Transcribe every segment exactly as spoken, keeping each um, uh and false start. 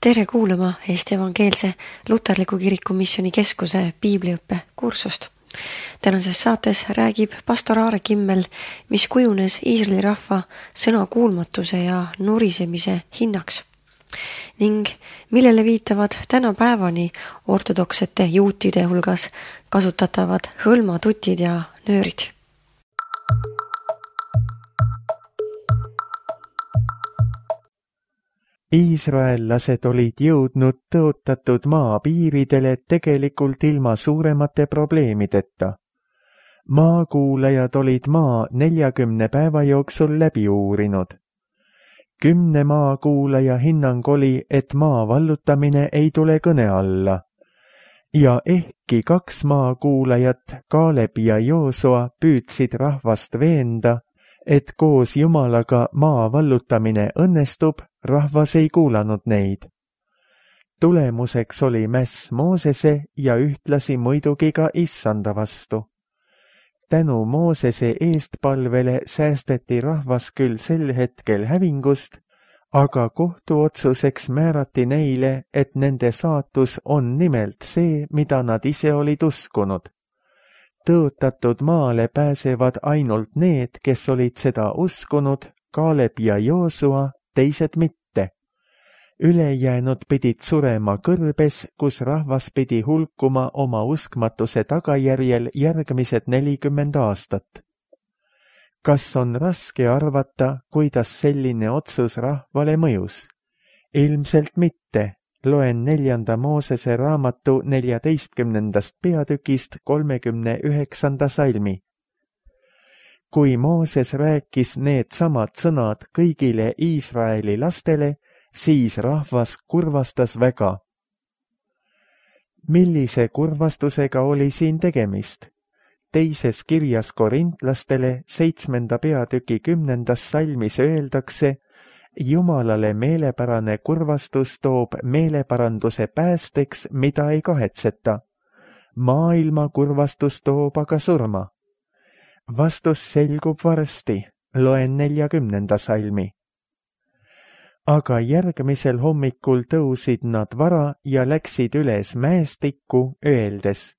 Tere kuulama Eesti Evangeelse Luterliku Kiriku Missiooni Keskuse piibliõppe kursust. Tänases saates räägib pastor Aare Kimmel, mis kujunes Iisraeli rahva sõnakuulmatuse ja nurisemise hinnaks ning millele viitavad tänapäevani ortodoksete juutide hulgas kasutatavad hõlmatutid ja nöörid. Iisraellased olid jõudnud tõotatud maa piiridele tegelikult ilma suuremate probleemideta. Maakuulajad olid maa neljakümne päeva jooksul läbi uurinud. Kümne maakuulaja hinnang oli, et maa vallutamine ei tule kõne alla. Ja ehkki kaks maakuulajat, Kaaleb ja Joosua, püüdsid rahvast veenda, et koos Jumalaga maa vallutamine õnnestub, rahvas ei kuulanud neid. Tulemuseks oli mäss Moosese ja ühtlasi muidugi ka Issanda vastu. Tänu Moosese eestpalvele säästeti rahvas küll sel hetkel hävingust, aga kohtuotsuseks määrati neile, et nende saatus on nimelt see, mida nad ise olid uskunud. Tõotatud maale pääsevad ainult need, kes olid seda uskunud, Kaaleb ja Joosua, teised mitte. Ülejäänud pidid surema kõrbes, kus rahvas pidi hulkuma oma uskmatuse tagajärjel järgmised nelikümmend aastat. Kas on raske arvata, kuidas selline otsus rahvale mõjus? Ilmselt mitte. Loen neljanda Moosese raamatu neljateistkümnendast peatükist kolmekümne üheksanda salmi. Kui Mooses rääkis need samad sõnad kõigile Iisraeli lastele, siis rahvas kurvastas väga. Millise kurvastusega oli siin tegemist? Teises kirjas korintlastele seitsmenda peatüki kümnendas salmis öeldakse, Jumalale meelepärane kurvastus toob meeleparanduse päästeks, mida ei kahetseta. Maailma kurvastus toob aga surma. Vastus selgub varsti, loen neljakümnenda salmi. Aga järgmisel hommikul tõusid nad vara ja läksid üles mäestikku, öeldes,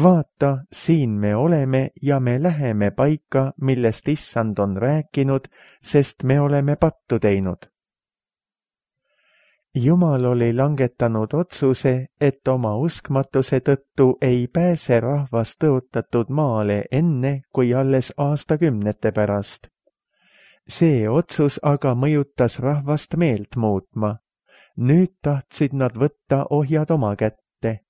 vaata, siin me oleme ja me läheme paika, millest Issand on rääkinud, sest me oleme pattu teinud. Jumal oli langetanud otsuse, et oma uskmatuse tõttu ei pääse rahvas tõotatud maale enne, kui alles aastakümnete pärast. See otsus aga mõjutas rahvast meelt muutma. Nüüd tahtsid nad võtta ohjad oma kätte.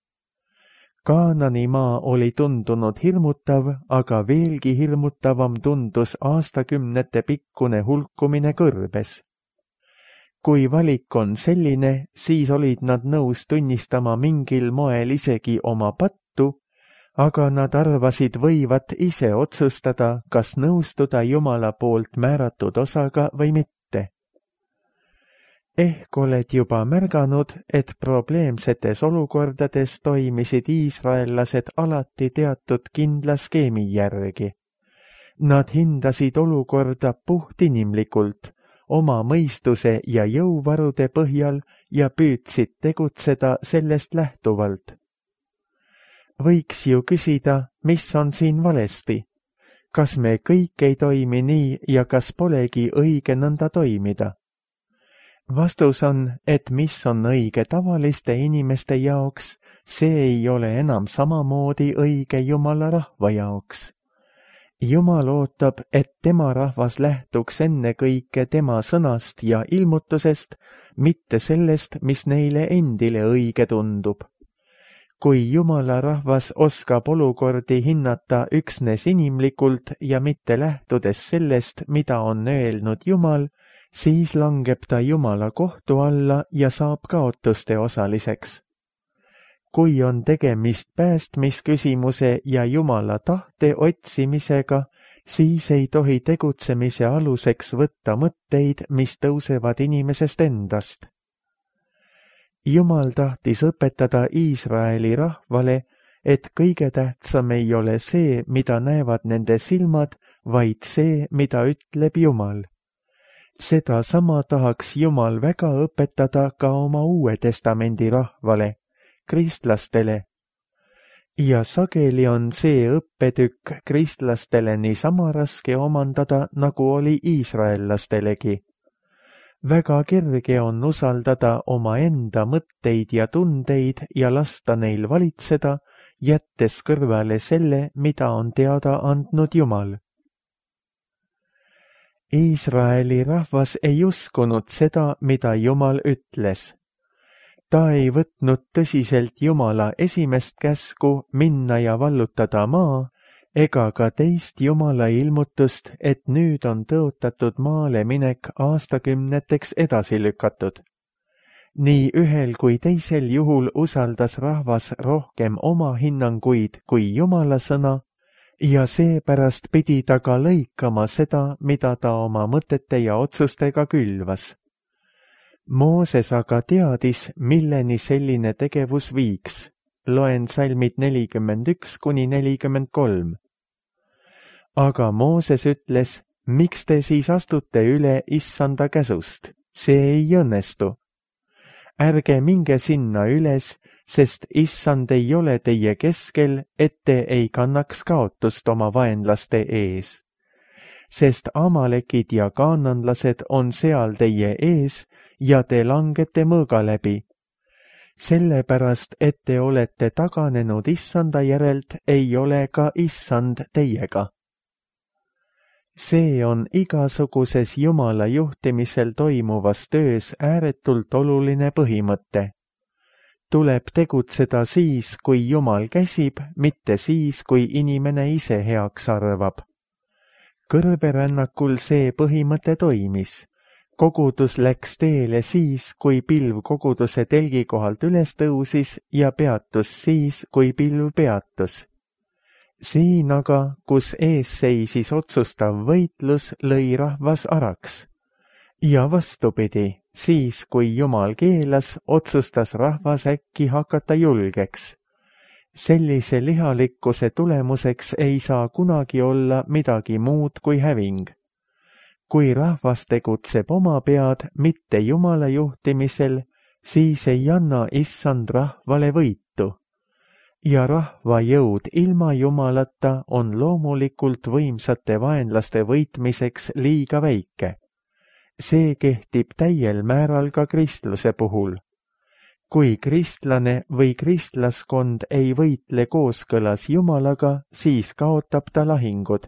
Kaanani maa oli tundunud hirmutav, aga veelgi hirmutavam tundus aastakümnete pikkune hulkumine kõrbes. Kui valik on selline, siis olid nad nõus tunnistama mingil moel isegi oma pattu, aga nad arvasid võivat ise otsustada, kas nõustuda Jumala poolt määratud osaga või mitte. Ehk oled juba märganud, et probleemsetes olukordades toimisid iisraellased alati teatud kindla skeemi järgi. Nad hindasid olukorda puhtinimlikult, oma mõistuse ja jõuvarude põhjal ja püüdsid tegutseda sellest lähtuvalt. Võiks ju küsida, mis on siin valesti? Kas me kõik ei toimi nii ja kas polegi õige nõnda toimida? Vastus on, et mis on õige tavaliste inimeste jaoks, see ei ole enam samamoodi õige Jumala rahva jaoks. Jumal ootab, et tema rahvas lähtuks ennekõike tema sõnast ja ilmutusest, mitte sellest, mis neile endile õige tundub. Kui Jumala rahvas oskab olukordi hinnata üksnes inimlikult ja mitte lähtudes sellest, mida on öelnud Jumal, siis langeb ta Jumala kohtu alla ja saab kaotuste osaliseks. Kui on tegemist päästmisküsimuse ja Jumala tahte otsimisega, siis ei tohi tegutsemise aluseks võtta mõtteid, mis tõusevad inimesest endast. Jumal tahtis õpetada Iisraeli rahvale, et kõige tähtsam ei ole see, mida näevad nende silmad, vaid see, mida ütleb Jumal. Seda sama tahaks Jumal väga õpetada ka oma Uue Testamendi rahvale, kristlastele. Ja sageli on see õppetükk kristlastele niisama raske omandada, nagu oli iisraellastelegi. Väga kerge on usaldada omaenda mõtteid ja tundeid ja lasta neil valitseda, jättes kõrvale selle, mida on teada andnud Jumal. Iisraeli rahvas ei uskunud seda, mida Jumal ütles. Ta ei võtnud tõsiselt Jumala esimest käsku minna ja vallutada maa, ega ka teist Jumala ilmutust, et nüüd on tõotatud maale minek aastakümneteks edasi lükatud. Nii ühel kui teisel juhul usaldas rahvas rohkem oma hinnanguid kui Jumala sõna, ja seepärast pidi ta ka lõikama seda, mida ta oma mõtete ja otsustega külvas. Mooses aga teadis, milleni selline tegevus viiks. Loen salmid nelikümmend üks kuni nelikümmend kolm. Aga Mooses ütles, miks te siis astute üle issanda käsust? See ei õnnestu. Ärge minge sinna üles, sest issand ei ole teie keskel, et te ei kannaks kaotust oma vaenlaste ees. Sest amalekid ja kaananlased on seal teie ees ja te langete mõõga läbi. Sellepärast, et te olete taganenud issanda järelt, ei ole ka issand teiega. See on igasuguses Jumala juhtimisel toimuvas töös ääretult oluline põhimõte. Tuleb tegutseda siis, kui Jumal käsib, mitte siis, kui inimene ise heaks arvab. Kõrberännakul see põhimõte toimis. Kogudus läks teele siis, kui pilv koguduse telgi kohalt üles tõusis ja peatus siis, kui pilv peatus. Siin aga, kus ees seisis otsustav võitlus, lõi rahvas araks. Ja vastupidi, siis kui Jumal keelas, otsustas rahvas äkki hakata julgeks. Sellise lihalikkuse tulemuseks ei saa kunagi olla midagi muud kui häving. Kui rahvas tegutseb oma pead, mitte Jumala juhtimisel, siis ei anna issand rahvale võitu. Ja rahva jõud ilma Jumalata on loomulikult võimsate vaenlaste võitmiseks liiga väike. See kehtib täiel määral ka kristluse puhul. Kui kristlane või kristlaskond ei võitle kooskõlas Jumalaga, siis kaotab ta lahingud.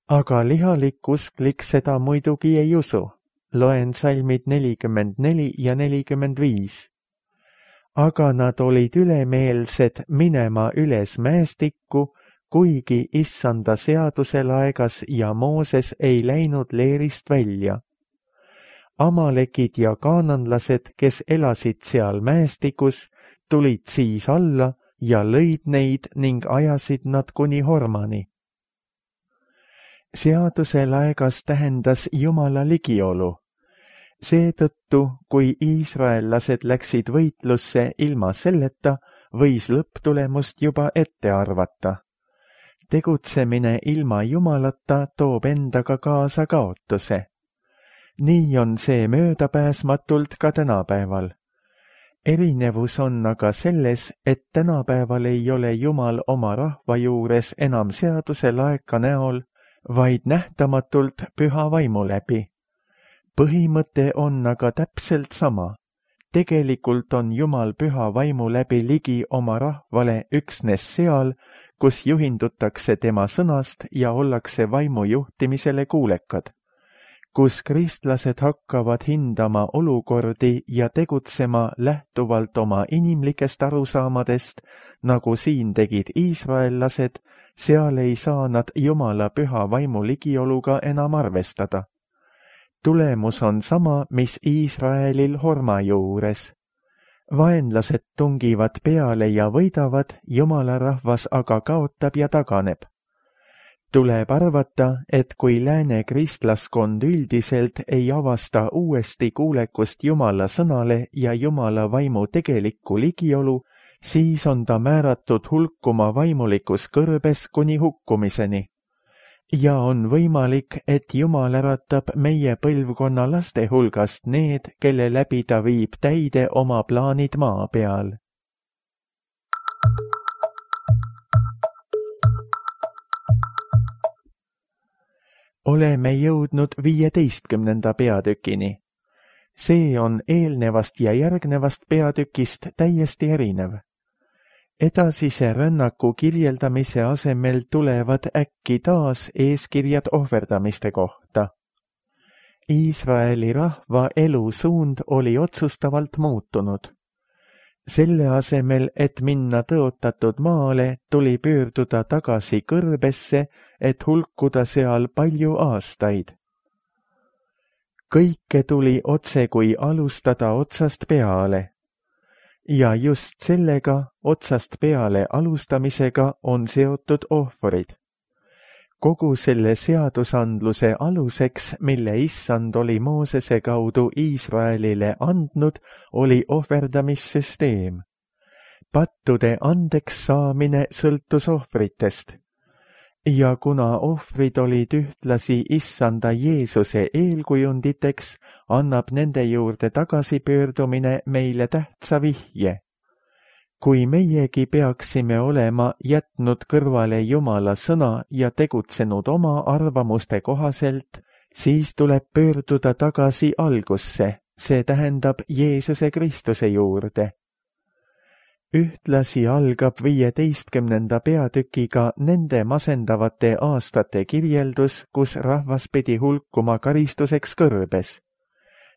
Aga lihalik usklik seda muidugi ei usu. Loen salmid nelikümmend neli ja nelikümmend viis. Aga nad olid ülemeelsed minema üles mäestikku, kuigi issanda seaduse laegas ja Mooses ei läinud leerist välja. Amalekid ja kaananlased, kes elasid seal mäestikus, tulid siis alla ja lõid neid ning ajasid nad kuni Hormani. Seaduse laegas tähendas Jumala ligiolu. Seetõttu, kui iisraellased läksid võitlusse ilma selleta, võis lõpptulemust juba ette arvata. Tegutsemine ilma Jumalata toob endaga kaasa kaotuse. Nii on see möödapääsmatult ka tänapäeval. Erinevus on aga selles, et tänapäeval ei ole Jumal oma rahva juures enam seaduse laeka näol, vaid nähtamatult püha vaimu läbi. Põhimõte on aga täpselt sama. Tegelikult on Jumal püha vaimu läbi ligi oma rahvale üksnes seal, kus juhindutakse tema sõnast ja ollakse vaimu juhtimisele kuulekad. Kus kristlased hakkavad hindama olukordi ja tegutsema lähtuvalt oma inimlikest arusaamadest, nagu siin tegid iisraellased, seal ei saa nad Jumala püha vaimu ligioluga enam arvestada. Tulemus on sama, mis Iisraelil Horma juures. Vaenlased tungivad peale ja võidavad, Jumala rahvas aga kaotab ja taganeb. Tuleb arvata, et kui lääne kristlaskond üldiselt ei avasta uuesti kuulekust Jumala sõnale ja Jumala vaimu tegelikku ligiolu, siis on ta määratud hulkuma vaimulikus kõrbes kuni hukkumiseni. ja on võimalik, et Jumal äratab meie põlvkonna laste hulgast need, kelle läbi ta viib täide oma plaanid maa peal. Oleme jõudnud viieteistkümnenda peatükini. See on eelnevast ja järgnevast peatükist täiesti erinev. Edasise rännaku kirjeldamise asemel tulevad äkki taas eeskirjad ohverdamiste kohta. Iisraeli rahva elusuund oli otsustavalt muutunud. Selle asemel, et minna tõotatud maale, tuli pöörduda tagasi kõrbesse, et hulkuda seal palju aastaid. Kõike tuli otse kui alustada otsast peale. Ja just sellega, otsast peale alustamisega, on seotud ohvrid. Kogu selle seadusandluse aluseks, mille issand oli Moosese kaudu Iisraelile andnud, oli ohverdamissüsteem. Pattude andeks saamine sõltus ohvritest. Ja kuna ohvrid olid ühtlasi issanda Jeesuse eelkujunditeks, annab nende juurde tagasipöördumine meile tähtsa vihje. Kui meiegi peaksime olema jätnud kõrvale Jumala sõna ja tegutsenud oma arvamuste kohaselt, siis tuleb pöörduda tagasi algusse, see tähendab Jeesuse Kristuse juurde. Ühtlasi algab viieteistkümnenda peatükiga nende masendavate aastate kirjeldus, kus rahvas pidi hulkuma karistuseks kõrbes.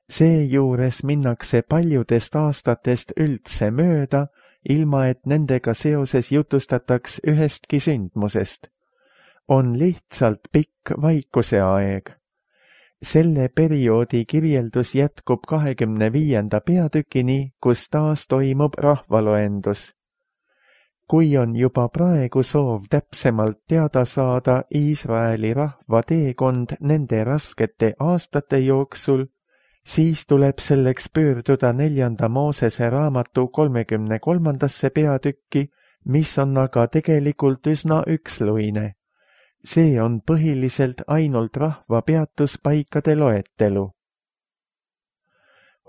Seejuures minnakse paljudest aastatest üldse mööda, ilma et nendega seoses jutustataks ühestki sündmusest. On lihtsalt pikk vaikuse aeg. Selle perioodi kirjeldus jätkub kahekümne viienda peatükini, kus taas toimub rahvaloendus. Kui on juba praegu soov täpsemalt teada saada Iisraeli rahva teekond nende raskete aastate jooksul, siis tuleb selleks pöörduda neljanda Moosese raamatu kolmekümne kolmandasse peatükki, mis on aga tegelikult üsna üksluine. See on põhiliselt ainult rahva peatuspaikade loetelu.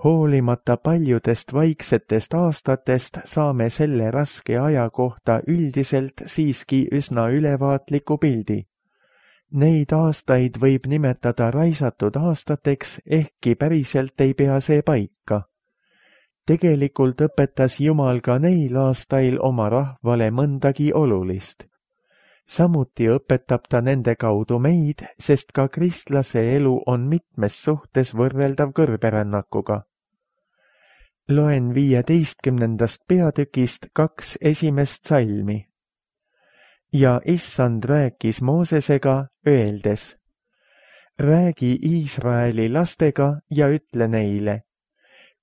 Hoolimata paljudest vaiksetest aastatest saame selle raske aja kohta üldiselt siiski üsna ülevaatliku pildi. Neid aastaid võib nimetada raisatud aastateks, ehkki päriselt ei pea see paika. Tegelikult õpetas Jumal ka neil aastail oma rahvale mõndagi olulist. Samuti õpetab ta nende kaudu meid, sest ka kristlase elu on mitmes suhtes võrreldav kõrberännakuga. Loen viieteistkümnendast peatükist kaks esimest salmi. Ja issand rääkis Moosesega, öeldes: Räägi Iisraeli lastega ja ütle neile: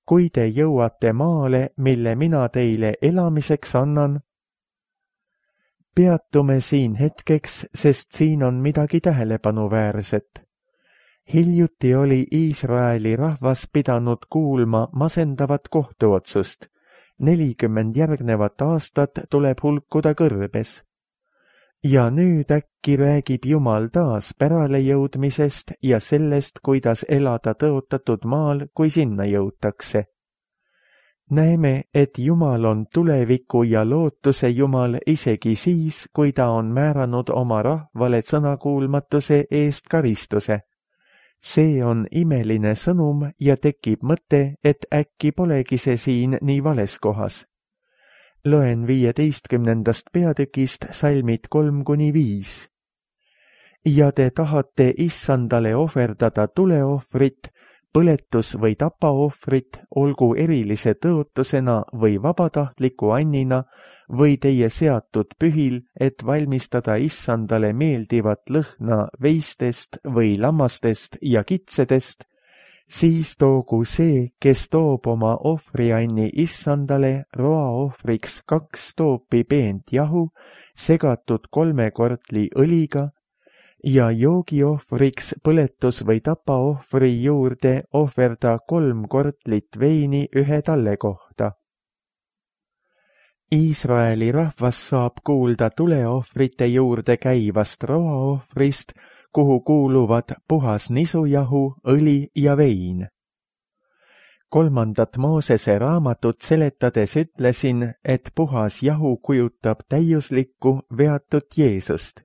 Kui te jõuate maale, mille mina teile elamiseks annan, peatume siin hetkeks, sest siin on midagi tähelepanuväärset. Hiljuti oli Iisraeli rahvas pidanud kuulma masendavat kohtuotsust. nelikümmend järgnevat aastat tuleb hulkuda kõrbes. Ja nüüd äkki räägib Jumal taas pärale jõudmisest ja sellest, kuidas elada tõotatud maal, kui sinna jõutakse. Näeme, et Jumal on tuleviku ja lootuse Jumal isegi siis, kui ta on määranud oma rahvale sõnakuulmatuse eest karistuse. See on imeline sõnum ja tekib mõte, et äkki polegi see siin nii vales kohas. Loen viieteistkümnendast peatükist salmid kolm kuni viis. Ja te tahate issandale ohverdada tuleohvrit, põletus- või tapaohvrit, olgu erilise tõotusena või vabatahtliku annina või teie seatud pühil, et valmistada issandale meeldivat lõhna veistest või lammastest ja kitsedest, siis toogu see, kes toob oma ohvrianni issandale roaohvriks kaks toopi peent jahu, segatud kolme kortli õliga, ja joogiohvriks põletus- või tapaohvri juurde ohverda kolm kortlit veini ühe talle kohta. Iisraeli rahvas saab kuulda tuleohvrite juurde käivast roaohvrist, kuhu kuuluvad puhas nisujahu, õli ja vein. kolmandat Moosese raamatut seletades ütlesin, et puhas jahu kujutab täiuslikku veatut Jeesust.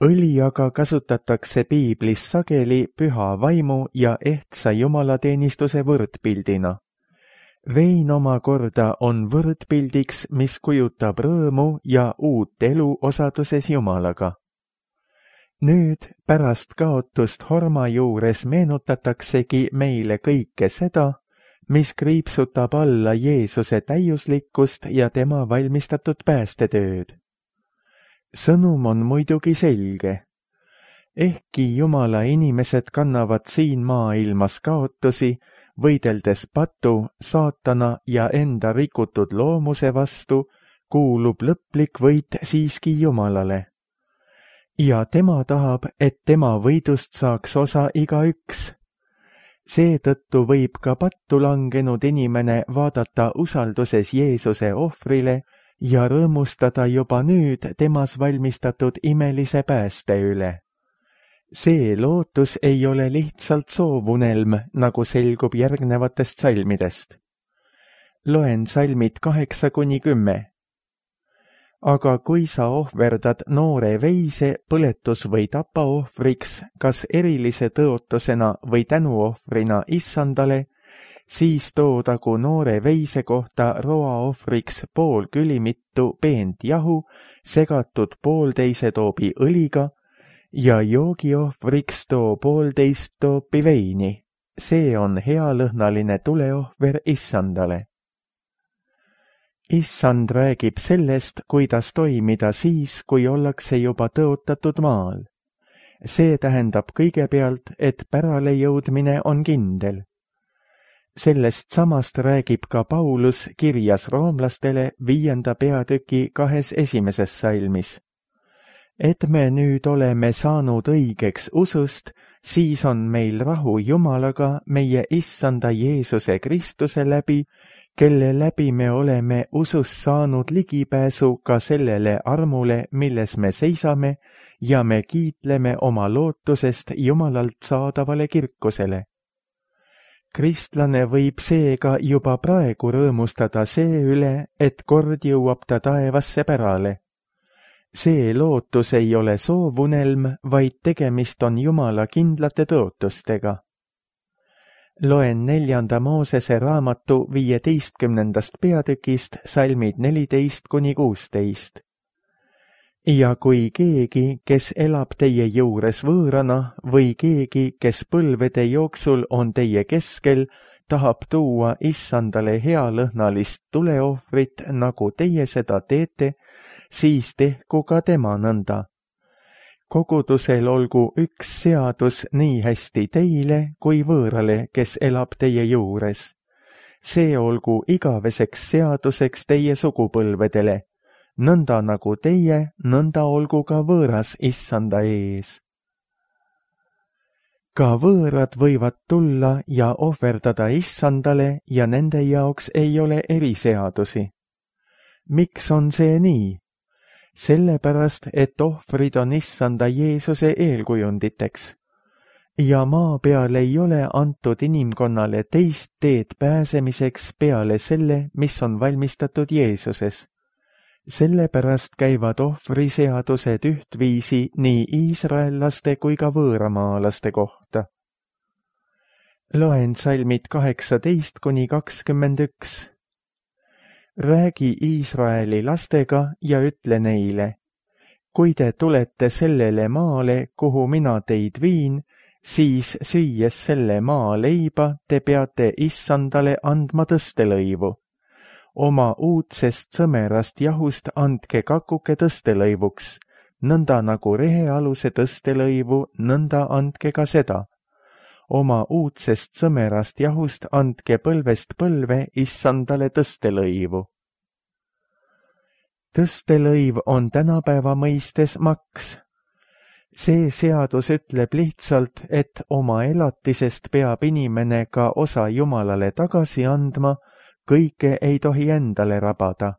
Õli aga kasutatakse piiblis sageli püha vaimu ja ehtsa jumalateenistuse võrdpildina. Vein omakorda on võrdpildiks, mis kujutab rõõmu ja uut elu osaduses Jumalaga. Nüüd pärast kaotust horma juures meenutataksegi meile kõike seda, mis kriipsutab alla Jeesuse täiuslikkust ja tema valmistatud päästetööd. Sõnum on muidugi selge. Ehkki Jumala inimesed kannavad siin maailmas kaotusi, võideldes patu, saatana ja enda rikutud loomuse vastu, kuulub lõplik võit siiski Jumalale. Ja tema tahab, et tema võidust saaks osa igaüks. Seetõttu võib ka pattu langenud inimene vaadata usalduses Jeesuse ohvrile ja rõõmustada juba nüüd temas valmistatud imelise pääste üle. See lootus ei ole lihtsalt soovunelm, nagu selgub järgnevatest salmidest. Loen salmid kaheksa kuni kümme. Aga kui sa ohverdad noore veise põletus- või tapaohvriks, kas erilise tõotusena või tänuohvrina issandale, siis toodagu noore veise kohta roaohvriks pool külimittu peent jahu, segatud poolteise toobi õliga, ja joogiohvriks too poolteist toopi veini. See on healõhnaline tuleohver issandale. Issand räägib sellest, kuidas toimida siis, kui ollakse juba tõotatud maal. See tähendab kõigepealt, et pärale jõudmine on kindel. Sellest samast räägib ka Paulus kirjas roomlastele viienda peatüki kahes esimeses salmis. Et me nüüd oleme saanud õigeks usust, siis on meil rahu Jumalaga meie issanda Jeesuse Kristuse läbi, kelle läbi me oleme usus saanud ligipääsu ka sellele armule, milles me seisame ja me kiitleme oma lootusest Jumalalt saadavale kirkusele. Kristlane võib seega juba praegu rõõmustada see üle, et kord jõuab ta taevasse pärale. See lootus ei ole soovunelm, vaid tegemist on Jumala kindlate tõotustega. Loen neljanda Moosese raamatu viieteistkümnendast peatükist salmid neliteist kuni kuusteist. Ja kui keegi, kes elab teie juures võõrana või keegi, kes põlvede jooksul on teie keskel, tahab tuua issandale healõhnalist tuleohvrit, nagu teie seda teete, siis tehku ka tema nõnda. Kogudusel olgu üks seadus nii hästi teile kui võõrale, kes elab teie juures. See olgu igaveseks seaduseks teie sugupõlvedele. Nõnda nagu teie, nõnda olgu ka võõras issanda ees. Ka võõrad võivad tulla ja ohverdada issandale ja nende jaoks ei ole eriseadusi. Miks on see nii? Sellepärast, et ohvrid on issanda Jeesuse eelkujunditeks. Ja maa peal ei ole antud inimkonnale teist teed pääsemiseks peale selle, mis on valmistatud Jeesuses. Sellepärast käivad ohvriseadused ühtviisi nii iisraellaste kui ka võõramaalaste kohta. Loen salmid kaheksateist kuni kakskümmend üks. Räägi Iisraeli lastega ja ütle neile, kui te tulete sellele maale, kuhu mina teid viin, siis süües selle maa leiba te peate issandale andma tõstelõivu. Oma uudsest sõmerast jahust andke kakuke tõstelõivuks, nõnda nagu rehealuse tõstelõivu, nõnda andke ka seda. Oma uudsest sõmerast jahust andke põlvest põlve issandale tõstelõivu. Tõstelõiv on tänapäeva mõistes maks. See seadus ütleb lihtsalt, et oma elatisest peab inimene ka osa Jumalale tagasi andma, kõike ei tohi endale rabada.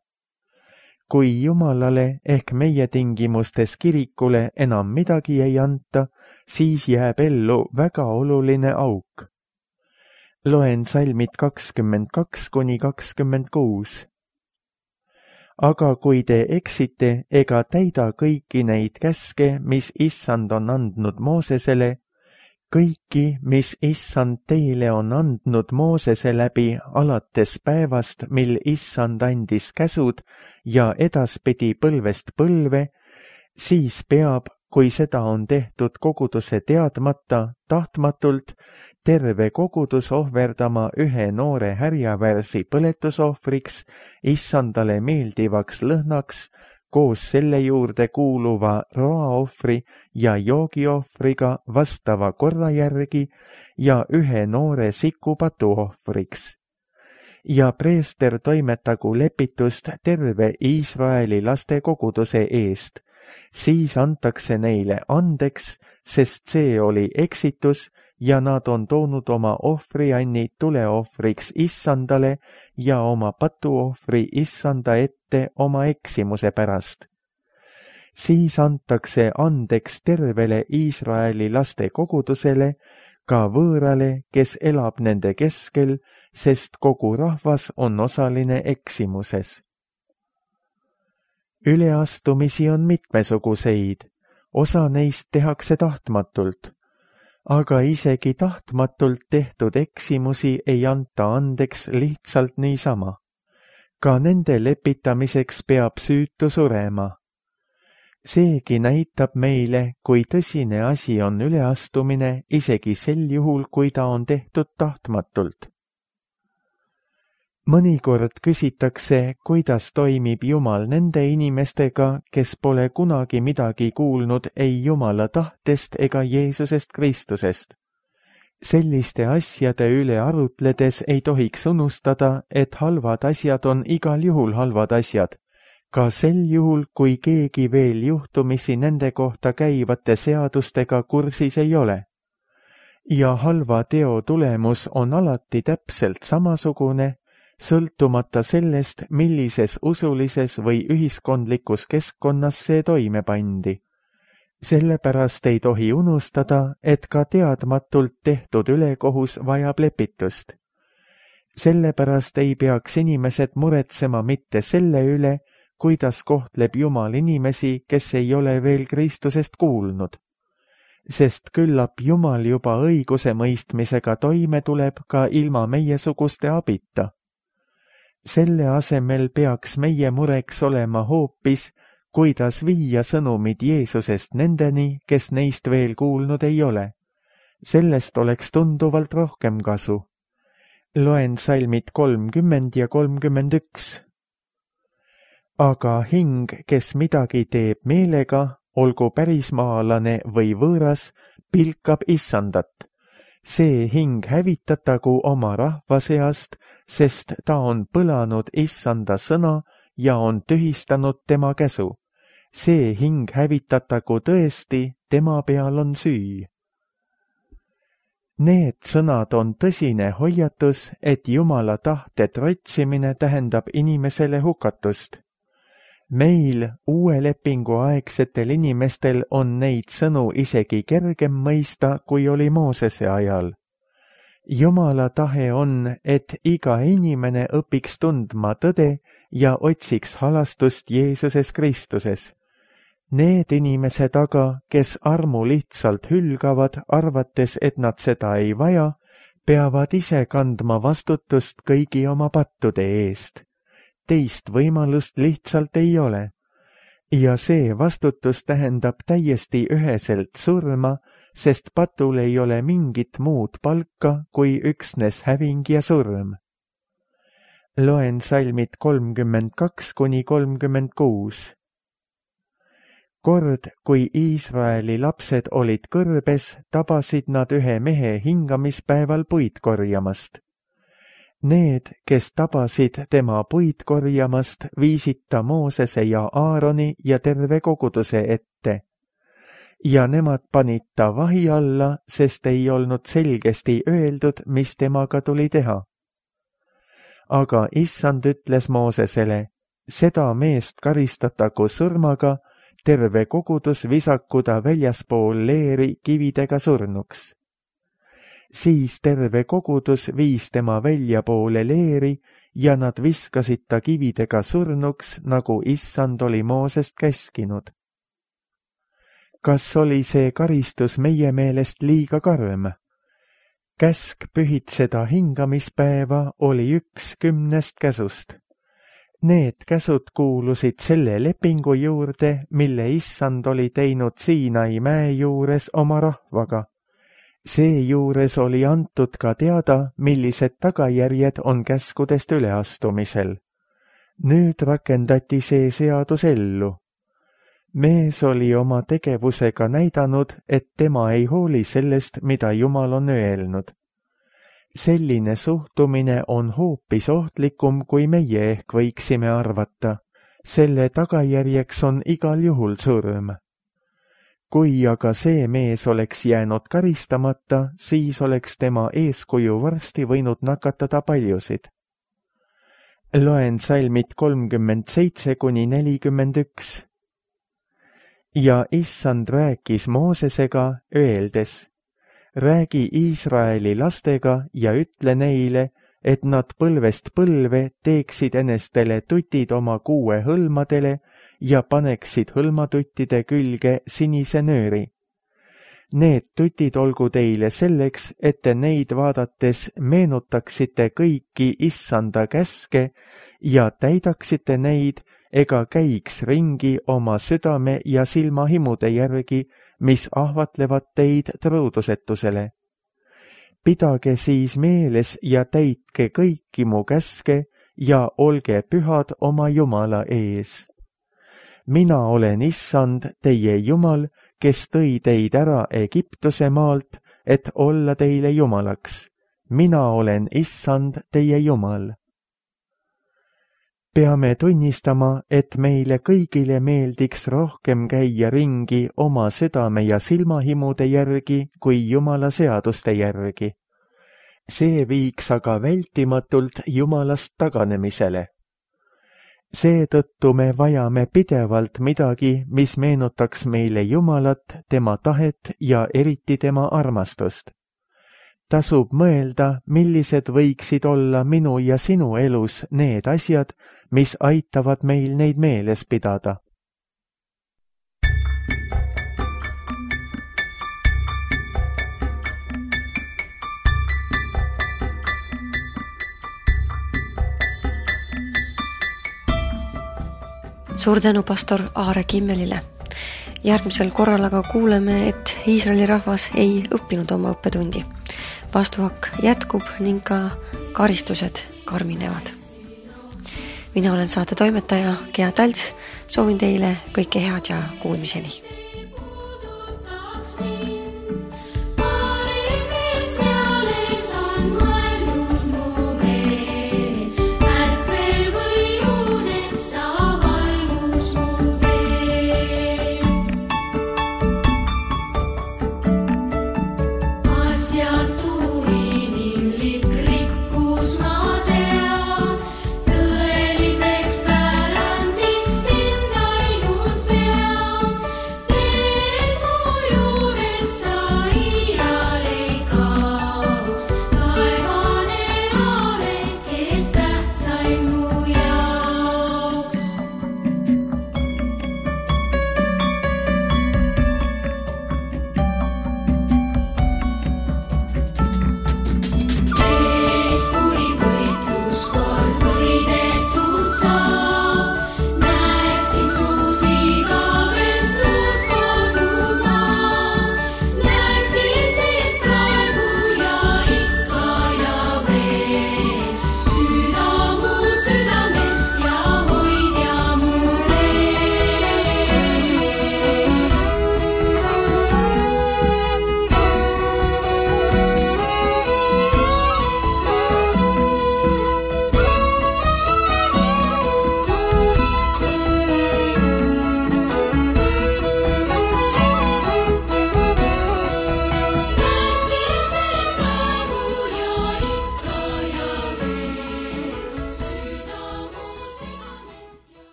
kui Jumalale ehk meie tingimustes kirikule enam midagi ei anta, siis jääb ellu väga oluline auk. Loen salmid kakskümmend kaks kuni kakskümmend kuus. Aga kui te eksite ega täida kõiki neid käske, mis Issand on andnud Moosesele, kõiki, mis Issand teile on andnud Moosese läbi alates päevast, mil Issand andis käsud ja edaspidi põlvest põlve, siis peab, kui seda on tehtud koguduse teadmata, tahtmatult, terve kogudus ohverdama ühe noore härjavärsi põletusohvriks, Issandale meeldivaks lõhnaks, koos selle juurde kuuluva roaohvri ja joogiohvriga vastava korra järgi ja ühe noore siku patuohvriks. Ja preester toimetagu lepitust terve Iisraeli laste koguduse eest, siis antakse neile andeks, sest see oli eksitus ja nad on toonud oma ohvrianni tuleohvriks Issandale ja oma patuohvri Issanda ette oma eksimuse pärast. Siis antakse andeks tervele Iisraeli laste kogudusele, ka võõrale, kes elab nende keskel, sest kogu rahvas on osaline eksimuses. Üleastumisi on mitmesuguseid, osa neist tehakse tahtmatult, aga isegi tahtmatult tehtud eksimusi ei anta andeks lihtsalt niisama. Ka nende lepitamiseks peab süütu surema. Seegi näitab meile, kui tõsine asi on üleastumine, isegi sel juhul, kui ta on tehtud tahtmatult. Mõnikord küsitakse, kuidas toimib Jumal nende inimestega, kes pole kunagi midagi kuulnud ei Jumala tahtest ega Jeesusest Kristusest. Selliste asjade üle arutledes ei tohiks unustada, et halvad asjad on igal juhul halvad asjad, ka sel juhul, kui keegi veel juhtumisi nende kohta käivate seadustega kursis ei ole. Ja halva teo tulemus on alati täpselt samasugune, sõltumata sellest, millises usulises või ühiskondlikus keskkonnas see toime pandi. Sellepärast ei tohi unustada, et ka teadmatult tehtud ülekohus vajab lepitust. Sellepärast ei peaks inimesed muretsema mitte selle üle, kuidas kohtleb Jumal inimesi, kes ei ole veel Kristusest kuulnud. Sest küllap Jumal juba õiguse mõistmisega toime tuleb ka ilma meiesuguste abita. Selle asemel peaks meie mureks olema hoopis, kuidas viia sõnumid Jeesusest nendeni, kes neist veel kuulnud ei ole. Sellest oleks tunduvalt rohkem kasu. Loen salmid kolmkümmend ja kolmkümmend üks. Aga hing, kes midagi teeb meelega, olgu pärismaalane või võõras, pilkab Issandat. See hing hävitatagu oma rahva seast, sest ta on põlanud Issanda sõna ja on tühistanud tema käsu. See hing hävitatagu tõesti, tema peal on süü. Need sõnad on tõsine hoiatus, et Jumala tahte trotsimine tähendab inimesele hukatust. Meil, uue lepingu aegsetel inimestel, on neid sõnu isegi kergem mõista, kui oli Moosese ajal. Jumala tahe on, et iga inimene õpiks tundma tõde ja otsiks halastust Jeesuses Kristuses. Need inimesed aga, kes armu lihtsalt hülgavad, arvates, et nad seda ei vaja, peavad ise kandma vastutust kõigi oma pattude eest. Teist võimalust lihtsalt ei ole. Ja see vastutus tähendab täiesti üheselt surma, sest patul ei ole mingit muud palka kui üksnes häving ja surm. Loen salmid kolmkümmend kaks kuni kolmkümmend kuus. Kord, kui Iisraeli lapsed olid kõrbes, tabasid nad ühe mehe hingamispäeval puid korjamast. Need, kes tabasid tema puid korjamast, viisid ta Moosese ja Aaroni ja terve koguduse ette. Ja nemad panid ta vahi alla, sest ei olnud selgesti öeldud, mis temaga tuli teha. Aga Issand ütles Moosesele, seda meest karistatagu surmaga, terve kogudus visakuda väljaspool leeri kividega surnuks. Siis terve kogudus viis tema väljapoole leeri ja nad viskasid ta kividega surnuks, nagu issand oli Moosest käskinud. Kas oli see karistus meie meelest liiga karm? Käsk pühitseda hingamispäeva oli üks kümnest käsust. Need käsud kuulusid selle lepingu juurde, mille issand oli teinud Siinai mäe juures oma rahvaga. Seejuures oli antud ka teada, millised tagajärjed on käskudest üleastumisel. Nüüd rakendati see seadus ellu. Mees oli oma tegevusega näidanud, et tema ei hooli sellest, mida Jumal on öelnud. Selline suhtumine on hoopis ohtlikum, kui meie ehk võiksime arvata. Selle tagajärjeks on igal juhul surm. Kui aga see mees oleks jäänud karistamata, siis oleks tema eeskuju varsti võinud nakatada paljusid. Loen salmid kolmkümmend seitse kuni nelikümmend üks. Ja issand rääkis Moosesega, öeldes, räägi Iisraeli lastega ja ütle neile, et nad põlvest põlve teeksid enestele tutid oma kuue hõlmadele ja paneksid hõlmatuttide külge sinise nööri. Need tutid olgu teile selleks, et te neid vaadates meenutaksite kõiki issanda käske ja täidaksite neid, ega käiks ringi oma südame ja silmahimude järgi, mis ahvatlevad teid truudusetusele. Pidage siis meeles ja täitke kõiki mu käske ja olge pühad oma Jumala ees. Mina olen issand, teie Jumal, kes tõi teid ära Egiptuse maalt, et olla teile Jumalaks. Mina olen issand, teie Jumal. Peame tunnistama, et meile kõigile meeldiks rohkem käia ringi oma südame ja silmahimude järgi kui Jumala seaduste järgi. See viiks aga vältimatult Jumalast taganemisele. Seetõttu me vajame pidevalt midagi, mis meenutaks meile Jumalat, tema tahet ja eriti tema armastust. Tasub mõelda, millised võiksid olla minu ja sinu elus need asjad, mis aitavad meil neid meeles pidada. Suur tänu pastor Aare Kimmelile. Järgmisel korral aga kuuleme, et Iisraeli rahvas ei õppinud oma õppetundi. Vastuhakk jätkub ning ka karistused karminevad. Mina olen saate toimetaja Gea Talts, soovin teile kõike head ja kuulmiseni.